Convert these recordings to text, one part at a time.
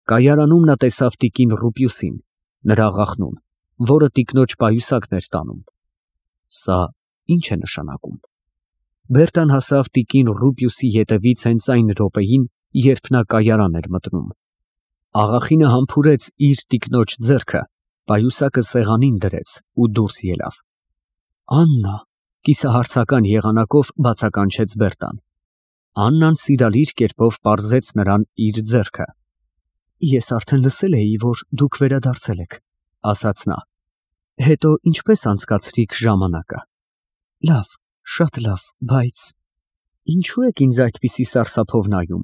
Կայարանում նա տեսավ տիկին Ռուպիուսին, նրա աղախնուն, որը տիկնոջ պայուսակն էր տանում։ Սա ի՞նչ է նշանակում։ Բերտան հասավ տիկին Ռուպիուսի ետևից հենց այն րոպեին, երբ նա կայարան էր մտնում։ Աղախինը համբուրեց իր տիկնոջ ձեռքը, պայուսակը սեղանին դրեց ու դուրս ելավ։ Աննա, կիսահարցական եղանակով բացականչեց Բերտան։ Աննան սիրալիր կերպով պարզեց նրան իր ձեռքը։ Ես արդեն լսել էի, որ դուք վերադարձել եք, ասաց նա։ Հետո ինչպես անցկացրիք ժամանակը։ Լավ, շատ լավ, բայց ինչու եք ինձ այդպիսի սարսափով նայում։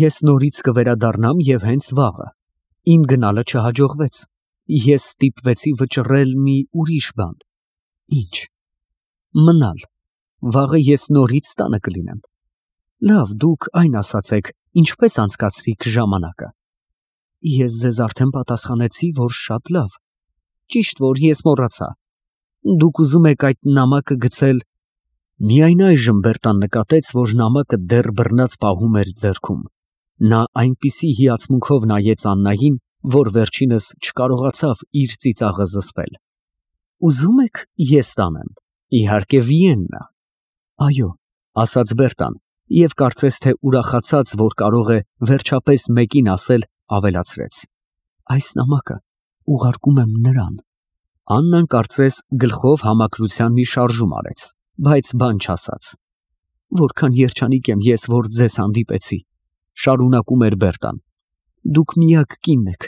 Ես նորից կվերադառնամ և հենց վաղը։ Իմ գնալը չհաջողվեց։ Ես ստիպվեցի վճռել մի ուրիշ բան։ Ինչ։ Մնալ։ Վաղը ես նորից տանը կլինեմ։ Լավ, դուք այն ասացեք, ինչպես անցկացրիք ժամանակը։ Ես ձեզ արդեն պատասխանեցի, որ շատ լավ։ Ճիշտ որ ես մոռացա։ Դուք ուզում եք այդ նամակը գցել։ Միայն այժմ Բերտան նկատեց, որ նամակը դեռ բռնած պահում էր ձեռքում։ Նա այնպիսի հիացմունքով նայեց Աննային, որ վերջինս չկարողացավ իր ծիծաղը զսպել։ Ուզում եք ես տանեմ։ Իհարկե Վիեննա։ Այո, ասաց Բերտան, և կարծես թե ուրախացած, որ կարող է վերջապես մեկին ասել, ավելացրեց. Այս նամակը ուղարկում եմ նրան։ Աննան կարծես գլխով համակրության մի շարժում արեց, բայց բան չասաց։ Որքան երջանիկ եմ ես, որ ձեզ հանդիպեցի, շարունակում էր Բերտան։ Դուք միակ կինն եք,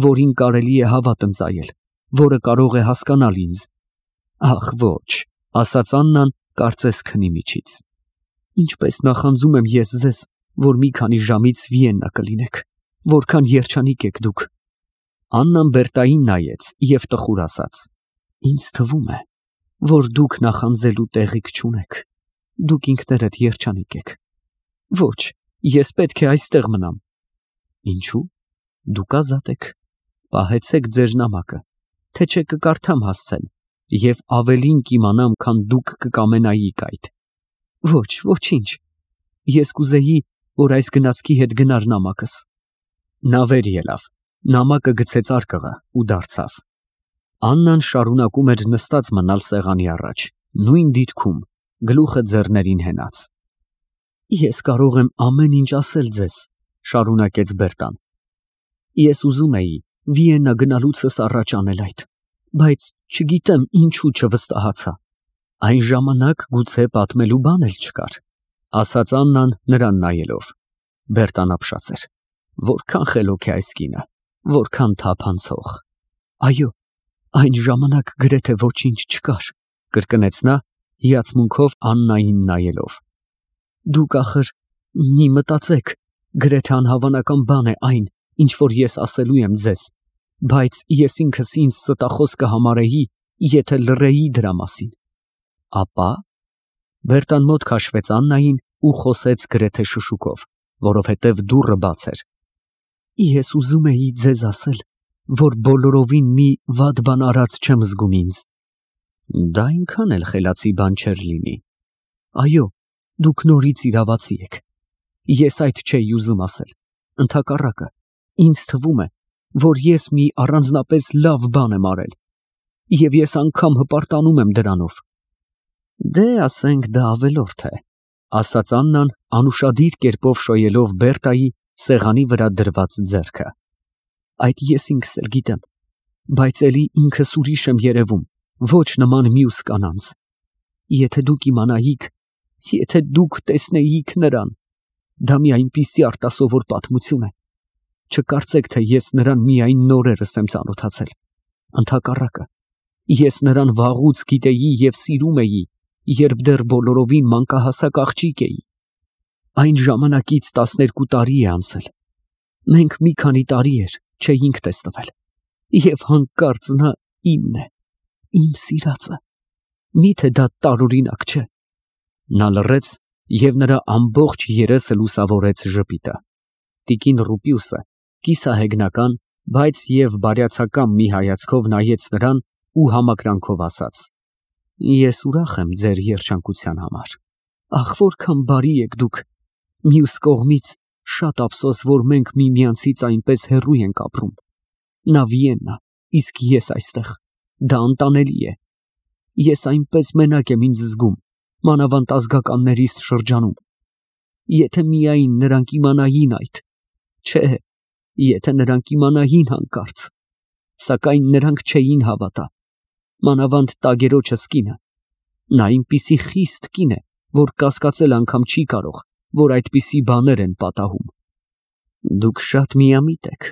որին կարելի է հավատ ընծայել, որը կարող է հասկանալ ինձ։ Ախ, ոչ, ասաց Աննան, կարծես քնի միջից։ Ինչպես նախանձում եմ ես ձեզ, որ մի քանի ժամից Վիեննա կլինեք, որքան երջանիկ եք դուք։ Աննան Բերտային նայեց և տխուր ասաց. Ինձ թվում է, որ դուք նախանձելու տեղիք չունեք։ Դուք ինքներդ երջանիկ եք։ Ոչ, ես պետք է այստեղ մնամ։ Ինչու՞։ Դուք ազատ եք։ Պահեցեք ձեր նամակը, թե չէ կկարդամ հասցեն, և ավելին կիմանամ, քան դուք կկամենայիք այդ։ Ոչ, ոչինչ։ Ես կուզեի, որ այս գնացքի հետ գնար նամակս։ Նա վեր ելավ, նամակը գցեց արկղը ու դարձավ։ Աննան շարունակում էր նստած մնալ սեղանի առաջ, նույն դիրքում, գլուխը ձեռներին հենած։ Ես կարող եմ ամեն ինչ ասել ձեզ, շարունակեց Բերտան։ Ես ուզում էի Վիեննա գնալուցս առաջ անել այդ, բայց չգիտեմ ինչու չվստահացա։ Այն ժամանակ գուցե պատմելու բան էլ չկար, ասաց Աննան նրան նայելով։ Բերտան ապշած էր։ Որքան խելոք է այս կինը, որքան թափանցող։ Այո, այն ժամանակ գրեթե ոչինչ չկար, կրկնեց նա, հիացմունքով Աննային նայելով։ Դուք ախր մի մտածեք, գրեթե անհավանական բան է այն, ինչ որ ես ասելու եմ ձեզ, բայց ես ինքս ինձ ստախոս կհամարեի, եթե լռեի դրա մասին։ Ապա Բերտան մոտ քաշվեց Աննային ու խոսեց գրեթե շշուկով, որովհետև դուռը բաց էր։ Ես ուզում էի ձեզ ասել, որ բոլորովին մի վատ բան արած չեմ զգում ինձ։ Դա այնքան էլ խելացի բան չէր լինի։ Այո, դուք նորից իրավացի եք։ Ես այդ չէի ուզում ասել։ Ընդհակառակը, ինձ թվում է, որ ես մի առանձնապես լավ բան եմ արել, և ես անգամ հպարտանում եմ դրանով։ Դե ասենք դա ավելորդ է, ասաց Աննան, անուշադիր կերպով շոյելով Բերտայի սեղանի վրա դրված ձեռքը։ Այդ ես ինքս էլ գիտեմ, բայց էլի ինքս ուրիշ եմ երևում, ոչ նման մյուս կանանց։ Եթե դուք իմանայիք, եթե դուք տեսնեիք նրան, դա մի այնպիսի արտասովոր պատմություն է։ Չկարծեք, թե ես նրան միայն նորերս եմ ծանոթացել։ Ընդհակառակը, ես նրան վաղուց գիտեի և սիրում էի, երբ դեռ բոլորովին մանկահասակ աղջիկ էի։ Այն ժամանակից 12 տարի է անցել։ Մենք մի քանի տարի էր չէինք տեսնվել, և հանկարծ նա իմն է, իմ սիրածը։ Միթե դա տարօրինակ չէ։ Նա լռեց, և նրա ամբողջ երեսը լուսավորեց ժպիտը։ Տիկին Ռուպիուսը կիսահեգնական, բայց և բարյացակամ մի հայացքով նայեց նրան ու համակրանքով ասաց. Ես ուրախ եմ ձեր երջանկության համար։ Ախ, որքան բարի եք դուք։ Մյուս կողմից Շատ ափսոս, որ մենք միմյանցից այնպես հեռու ենք ապրում։ Նա Վիեննա, իսկ ես այստեղ։ Դա անտանելի է։ Ես այնպես մենակ եմ ինձ զգում, մանավանդ ազգականներիս շրջանում։ Եթե միայն նրանք իմանային այդ, չէ, եթե նրանք իմանային հանկարծ, սակայն նրանք չէին հավատա, մանավանդ տագերոջս կինը, նա այնպիսի խիստ կին է, որ կասկածել անգամ չի կարող, որ այդպիսի բաներ են պատահում։ Դուք շատ միամիտ եք,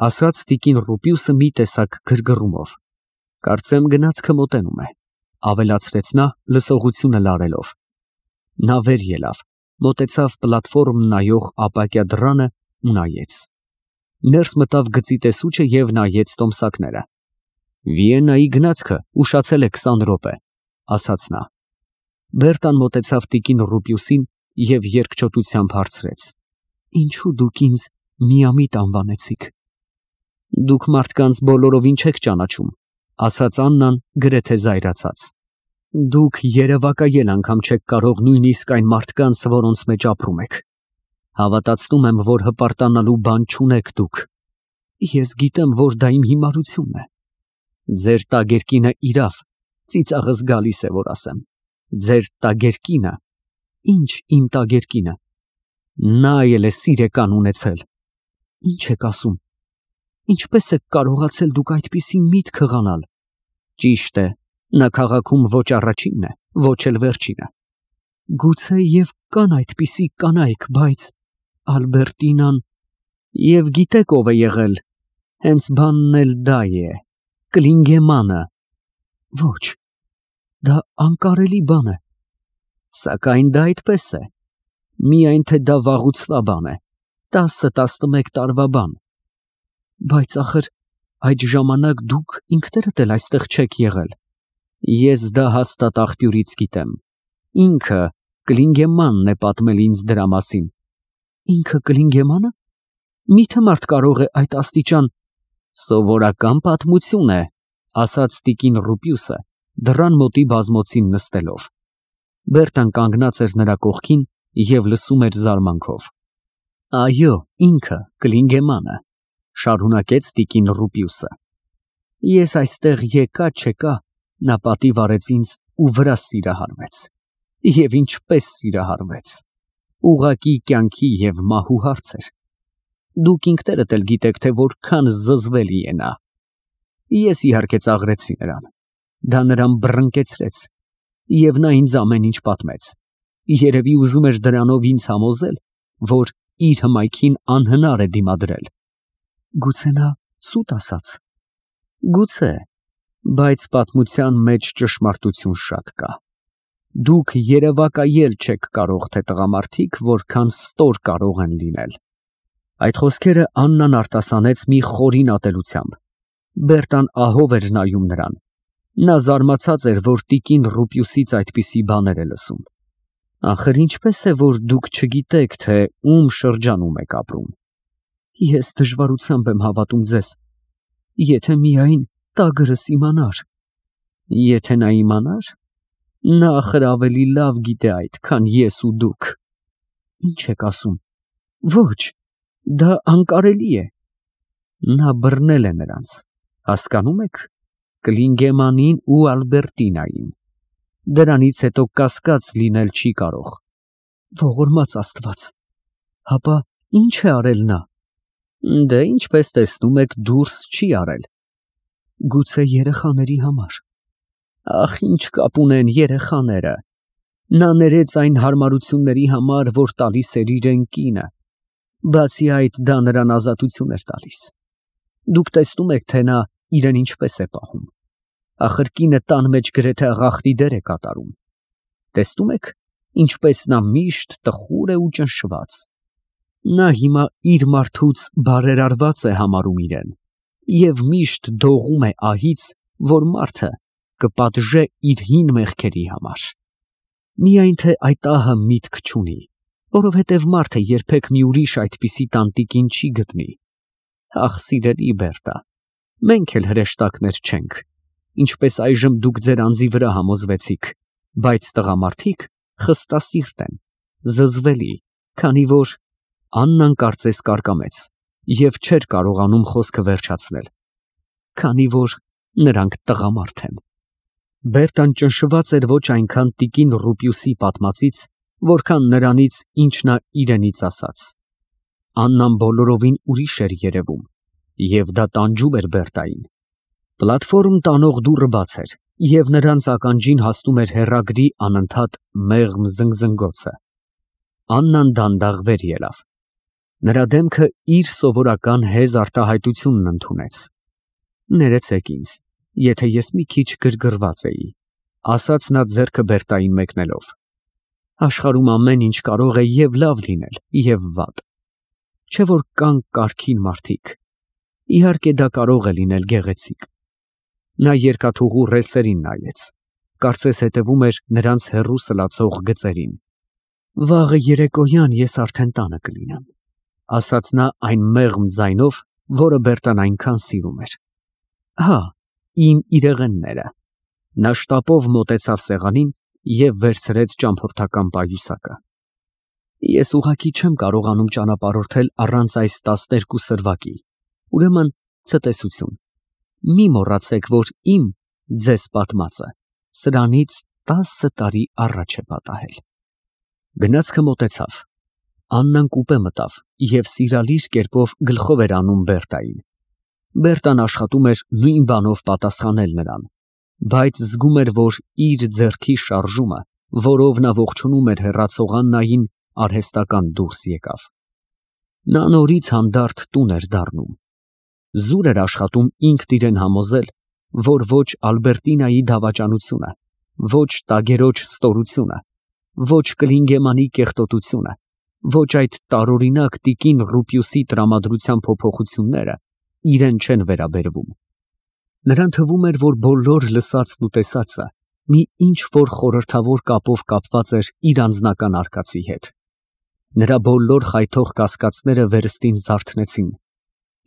ասաց տիկին Ռուպիուսը մի տեսակ գրգռումով։ Կարծեմ գնացքը մոտենում է, ավելացրեց նա լսողությունը լարելով։ Նա վեր ելավ, մոտեցավ պլատֆորմ նայող ապակյա դռանը ու նայեց։ Ներս մտավ գծի տեսուչը և նայեց տոմսակները։ Վիեննայի գնացքը ուշացել է 20 րոպե, ասաց նա։ Բերտան մոտեցավ տիկին Ռուպիուսին և երկչոտությամբ հարցրեց. Ինչու դուք ինձ միամիտ անվանեցիք։ Դուք մարդկանց բոլորովին չեք ճանաչում, ասաց Աննան գրեթե զայրացած։ Դուք երևակայել անգամ չեք կարող նույնիսկ այն մարդկանց, որոնց մեջ ապրում եք։ Հավատացնում եմ, որ հպարտանալու բան չունեք դուք։ Ես գիտեմ, որ դա իմ հիմարությունն է։ Ձեր տագերկինը իրավ, ծիծաղս գալիս է, որ ասեմ։ Ձեր տագերկինը։ Ինչ իմ տագերկինը։ Նա էլ է սիրեկան ունեցել։ Ինչ եք ասում։ Ինչպես եք կարողացել դուք այդպիսի միտք հղանալ։ Ճիշտ է, նա քաղաքում ոչ առաջինն է, ոչ էլ վերջինը։ Գուցե և կան այդպիսի կանայք, բայց Ալբերտինան… Եվ գիտեք ով է եղել, հենց բանն էլ դա է, Կլինգեմանը։ Ոչ, դա անկարելի բան է։ Սակայն դա այդպես է։ Միայն թե դա վաղուցվա բան է, 10-11 տարվա բան։ Բայց ախր այդ ժամանակ դուք ինքներդ էլ այստեղ չեք եղել։ Ես դա հաստատ աղբյուրից գիտեմ։ Ինքը Կլինգեմանն է պատմել ինձ դրա մասին։ Ինքը Կլինգեմանը։ Միթե մարդ կարող է այդ աստիճան… Սովորական պատմություն է, ասաց տիկին Ռուպիուսը, դռան մոտի բազմոցին նստելով։ Բերտան կանգնած էր նրա կողքին և լսում էր զարմանքով։ Այո, ինքը Կլինգեմանը, շարունակեց տիկին Ռուպիուսը։ Ես այստեղ եկա, նա պատիվ արեց ինձ ու վրա սիրահարվեց։ Եվ ինչպես սիրահարվեց։ Ուղղակի կյանքի և մահու հարց էր։ Դուք ինքներդ էլ գիտեք, թե որքան զզվելի է նա։ Ես իհարկե ծաղրեցի նրան։ Դա նրան բռնկեցրեց։ Եվ նա ինձ ամեն ինչ պատմեց։ Երևի ուզում էր դրանով ինձ համոզել, որ իր հմայքին անհնար է դիմադրել։ Գուցե նա սուտ ասաց։ Գուցե, բայց պատմության մեջ ճշմարտություն շատ կա։ Դուք երևակայել չեք կարող, թե տղամարդիկ որքան ստոր կարող են լինել։ Այդ խոսքերը Աննան արտասանեց մի խորին ատելությամբ։ Բերտան ահով էր նայում նրան։ Նա զարմացած էր, որ տիկին Ռուպիուսից այդպիսի բաներ է լսում։ Ախր ինչպես է, որ դուք չգիտեք, թե ում շրջանում եք ապրում։ Ես դժվարությամբ եմ հավատում ձեզ։ Եթե միայն տագրս իմանար։ Եթե նա իմանար, նա ախր ավելի լավ գիտե այդ, քան ես ու դուք։ Ինչ եք ասում։ Ոչ, դա անկարելի է։ Նա բռնել է նրանց, հասկանում եք, Կլինգեմանին ու Ալբերտինային։ Դրանից հետո կասկած լինել չի կարող։ Ողորմած Աստված, հապա ինչ է արել նա։ Դե ինչպես տեսնում եք, դուրս չի արել։ Գուցե երեխաների համար։ Ախ, ինչ կապ ունեն երեխաները։ Նա ներեց այն հարմարությունների համար, որ տալիս էր իրեն կինը։ Բացի այդ, դա նրան ազատություն էր տալիս։ Դուք տեսնում եք, թե նա իրեն ինչպես է պահում։ Ախր կինը տան մեջ գրեթե աղախնի դեր է կատարում։ Տեսնում եք, ինչպես նա միշտ տխուր է ու ճնշված։ Նա հիմա իր մարդուց բարերարված է համարում իրեն և միշտ դողում է ահից, որ մարդը կպատժե իր հին մեղքերի համար։ Միայն թե այդ ահը միտք չունի, որովհետև մարդը երբեք մի ուրիշ այդպիսի տանտիկին չի գտնի։ Ախ, սիրելի Բերտա, մենք էլ հրեշտակներ չենք, ինչպես այժմ դուք ձեր անձի վրա համոզվեցիք, բայց տղամարդիկ խստասիրտ են, զզվելի, քանի որ Աննան կարծես կարկամեց և չէր կարողանում խոսքը վերջացնել, քանի որ նրանք տղամարդ են։ Բերտան ճնշված էր ոչ այնքան տիկին Ռուպիուսի պատմածից, որքան նրանից, ինչ նա իրենից ասաց։ Աննան բոլորովին ուրիշ էր երևում, և դա տանջում էր Բերտային։ Պլատֆորմ տանող դուռը բաց էր, և նրանց ականջին հասնում էր հեռագրի անընդհատ մեղմ զնգզնգոցը։ Աննան դանդաղ վեր ելավ։ Նրա դեմքը իր սովորական հեզ արտահայտությունն ընդունեց։ «Ներեցեք ինձ, եթե ես մի քիչ գրգռված էի», ասաց նա ձեռքը Բերտային մեկնելով։ «Աշխարհում ամեն ինչ կարող է և լավ լինել, և վատ։ Չէ՞ որ կան կարգին մարդիկ։ Իհարկե դա կարող է լինել գեղեցիկ»։ Նա երկաթուղու ռելսերին նայեց, կարծես հետևում էր նրանց հեռու սլացող գծերին։ «Վաղը երեկոյան ես արդեն տանը կլինեմ», ասաց նա այն մեղմ ձայնով, որը Բերտան այնքան սիրում էր։ «Հա, իմ իրեղենները»։ Նա շտապով մոտեցավ սեղանին և վերցրեց ճամփորդական պայուսակը։ «Ես ուղղակի չեմ կարողանում ճանապարհորդել առանց այս 12 սրվակի, ուրեմն ցտեսություն։ Մի մոռացեք, որ ձեզ պատմածը սրանից 10 տարի առաջ է պատահել»։ Գնացքը մոտեցավ։ Աննան կուպե մտավ և սիրալիր կերպով գլխով էր անում Բերտային։ Բերտան աշխատում էր նույն բանով պատասխանել նրան, բայց զգում էր, որ իր ձեռքի շարժումը, որով նա ողջունում էր հեռացող Աննային, արհեստական դուրս եկավ։ Նա նորից հանդարտ տուն էր դառնում։ Զուր էր աշխատում ինքն իրեն համոզել, որ ոչ Ալբերտինայի դավաճանությունը, ոչ տագերոջ ստորությունը, ոչ Կլինգեմանի կեղտոտությունը, ոչ այդ տարօրինակ տիկին Ռուպիուսի տրամադրության փոփոխությունները իրեն չեն վերաբերվում։ Նրան թվում էր, որ բոլոր լսածն ու տեսածը մի ինչ֊որ խորհրդավոր կապով կապված էր իր անձնական արկածի հետ։ Նրա բոլոր խայթող կասկածները վերստին զարթնեցին։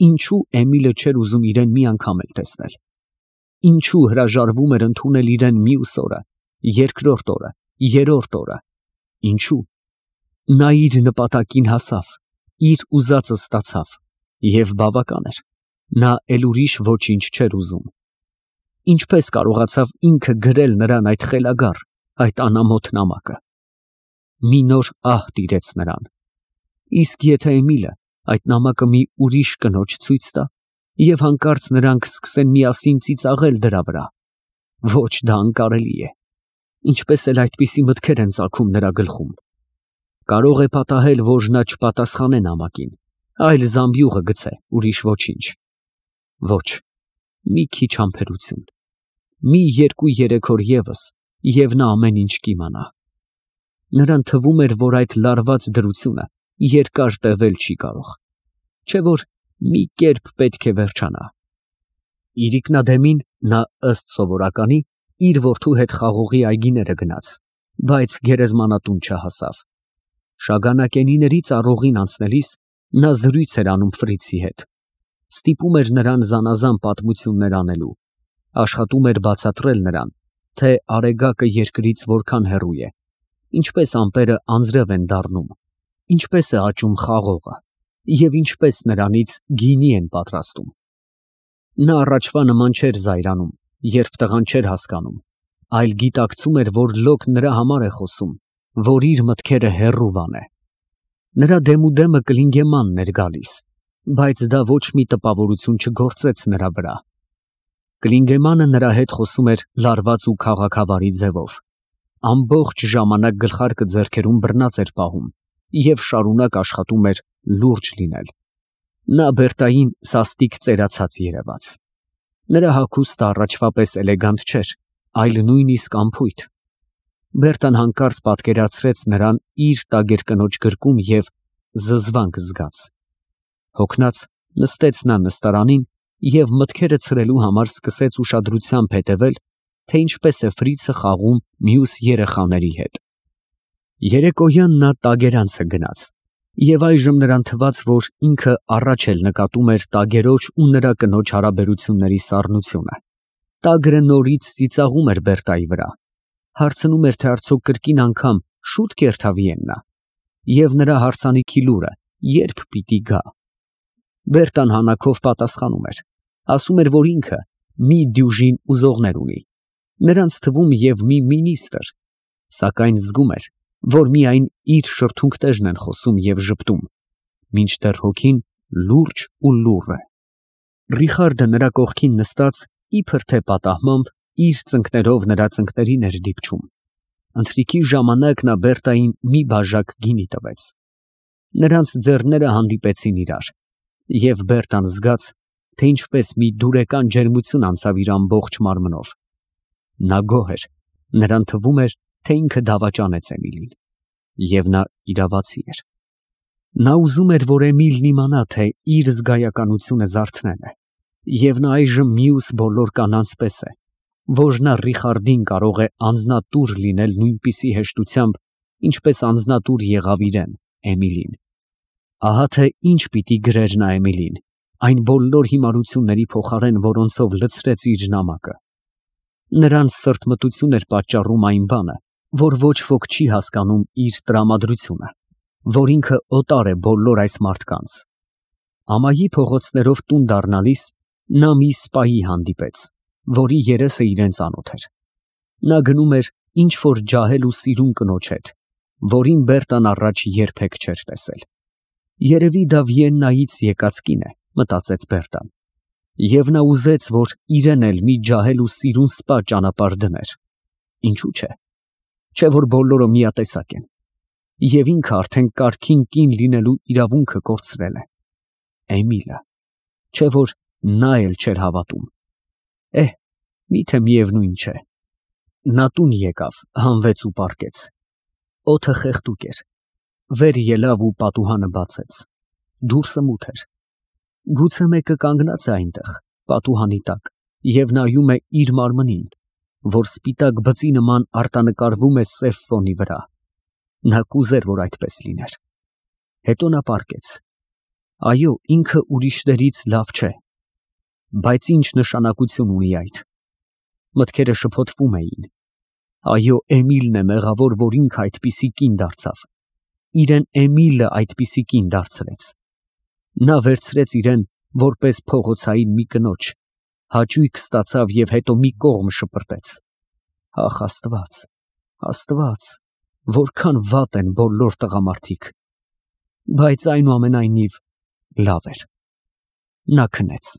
Ինչո՞ւ Էմիլը չէր ուզում իրեն մի անգամ էլ տեսնել։ Ինչո՞ւ հրաժարվում էր ընդունել իրեն մյուս օրը, երկրորդ օրը, երրորդ օրը։ Ինչո՞ւ։ Նա իր նպատակին հասավ, իր ուզածը ստացավ, և բավական էր։ Նա էլ ուրիշ ոչինչ չէր ուզում։ Ինչպես կարողացավ ինքը գրել նրան այդ խելագար, այդ անամոթ նամակը։ Մի նոր ահ տիրեց նրան։ Իսկ եթե Էմիլը այդ նամակը մի ուրիշ կնոջ ցույց տա, և հանկարծ նրանք սկսեն միասին ծիծաղել դրա վրա։ Ոչ, դա անկարելի է։ Ինչպես էլ այդպիսի մտքեր են ծագում նրա գլխում։ Կարող է պատահել, որ նա չպատասխանե նամակին, այլ զամբյուղը գցե, ուրիշ ոչինչ։ Ոչ, մի քիչ համբերություն, մի 2-3 օր ևս, և նա ամեն ինչ կիմանա։ Նրան թվում էր, որ այդ լարված դրությունը երկար տևել չի կարող, չէ՞ որ մի կերպ պետք է վերջանա։ Իրիկնադեմին նա ըստ սովորականի իր որդու հետ խաղողի այգիները գնաց, բայց գերեզմանատուն չհասավ։ Շագանակենիների ծառողին անցնելիս նա զրույց էր անում Ֆրիցի հետ, ստիպում էր նրան զանազան պատմություններ անելու, աշխատում էր բացատրել նրան, թե Արեգակը երկրից որքան հեռու է, ինչպես ամպերը անձրև են դառնում, ինչպես է աճում խաղողը և ինչպես նրանից գինի են պատրաստում։ Նա առաջվա նման չէր զայրանում, երբ տղան չէր հասկանում, այլ գիտակցում էր, որ լոկ նրա համար է խոսում, որ իր մտքերը հեռու է։ Նրա դեմուդեմը Կլինգեմանն էր գալիս, բայց դա ոչ մի տպավորություն չգործեց նրա վրա։ Կլինգեմանը նրա հետ խոսում էր լարված ու քաղաքավարի ձևով, ամբողջ ժամանակ գլխարկը ձեռքերում բռնած էր պահում և շարունակ աշխատում էր լուրջ լինել։ Նա Բերտային սաստիկ ծերացած երևաց։ Նրա հագուստը առաջվա պես էլեգանտ չէր, այլ նույնիսկ անփույթ։ Բերտան հանկարծ պատկերացրեց նրան իր տագեր կնոջ գրկում և զզվանք զգաց։ Հոգնած նստեց նա նստարանին և մտքերը ցրելու համար սկսեց ուշադրությամբ հետևել, թե ինչպես է Ֆրիցը խաղում մյուս երեխաների հետ։ Երեկոյան նա տագերանցը գնաց, և այժմ նրան թվաց, որ ինքը առաջ էլ նկատում էր տագերոջ ու նրա կնոջ հարաբերությունների սառնությունը։ Տագրը նորից ծիծաղում էր Բերտայի վրա, հարցնում էր, թե արդյոք կրկին անգամ շուտ կերթավի են նա, և նրա հարսանիքի լուրը երբ պիտի գա։ Բերտան հանակով պատասխանում էր, ասում էր, որ ինքը մի դյուժին ուզողներ ունի, նրանց թվում և մի մինիստր, սակայն զգում էր, որ միայն իր շրթունքներն են խոսում և ժպտում, մինչդեռ հոգին լուրջ ու լուռ է։ Ռիխարդը նրա կողքին նստած, իբր թե պատահմամբ, իր ծնկներով նրա ծնկներին էր դիպչում։ Ընթրիքի ժամանակ նա Բերտային մի բաժակ գինի տվեց։ Նրանց ձեռները հանդիպեցին իրար, և Բերտան զգաց, թե ինչպես մի դուրեկան ջերմություն անցավ իր ամբողջ մարմնով։ Նա գոհ էր, նրան թվում էր, թե ինքը դավաճանեց Էմիլին, և նա իրավացի էր։ Նա ուզում էր, որ Էմիլն իմանա, թե իր զգայականությունը զարթնել է, և նա այժմ մյուս բոլոր կանանց պես է, որ նա Ռիխարդին կարող է անձնատուր լինել նույնպիսի հեշտությամբ, ինչպես անձնատուր եղավ իրեն, Էմիլին։ Ահա թե ինչ պիտի գրեր նա Էմիլին, այն բոլոր հիմարությունների փոխարեն, որոնցով լցրեց իր նամակը։ Նրանց սրտմտություն էր պատճառում այն բանը, որ ոչ ոք չի հասկանում իր տրամադրությունը, որ ինքը օտար է բոլոր այս մարդկանց։ Ամայի փողոցներով տուն դառնալիս նա մի սպայի հանդիպեց, որի երեսը իրան ծանոթ էր։ Նա գնում էր ինչ որ ջահել ու սիրուն կնոջ հետ, որին Բերտան առաջ երբեք չէր տեսել։ Երևի դա Վիեննայից եկած կին է, մտածեց Բերտան, և նա ուզեց, որ իրեն էլ մի ջահել ու սիրուն սպա ճանապարհ դներ։ Ինչու՞ չէ, չէ որ բոլորը միատեսակ են, և ինքը արդեն կարգին կին լինելու իրավունքը կորցրել է։ Էմիլը, չէ որ նա էլ չէր հավատում։ Միթե միևնույն չէ։ Նա տուն եկավ, հանվեց ու պառկեց։ Օդը խեղդուկ էր, վեր ելավ ու պատուհանը բացեց։ Դուրսը մութ էր։ Գուցե մեկը կանգնած է այնտեղ, պատուհանի տակ, և նայում է իր մարմնին, որ սպիտակ բծի նման արտանկարվում է սև ֆոնի վրա։ Նա կուզեր, որ այդպես լիներ։ Հետո նա պառկեց։ Այո, ինքը ուրիշներից լավ չէ, բայց ինչ նշանակություն ունի այդ։ Մտքերը շփոթվում էին։ Այո, Էմիլն է մեղավոր, որ ինքը այդպիսի կին դարձավ։ Իրեն Էմիլը այդպիսի կին դարձրեց։ Նա վերցրեց իրեն որպես փողոցային մի կնոջ, հաճույք ստացավ և հետո մի կողմ շպրտեց։ Ախ, Աստված, Աստված, որքան վատ են բոլոր տղամարդիկ։ Բայց այնուամենայնիվ լավ էր։ Նա քնեց։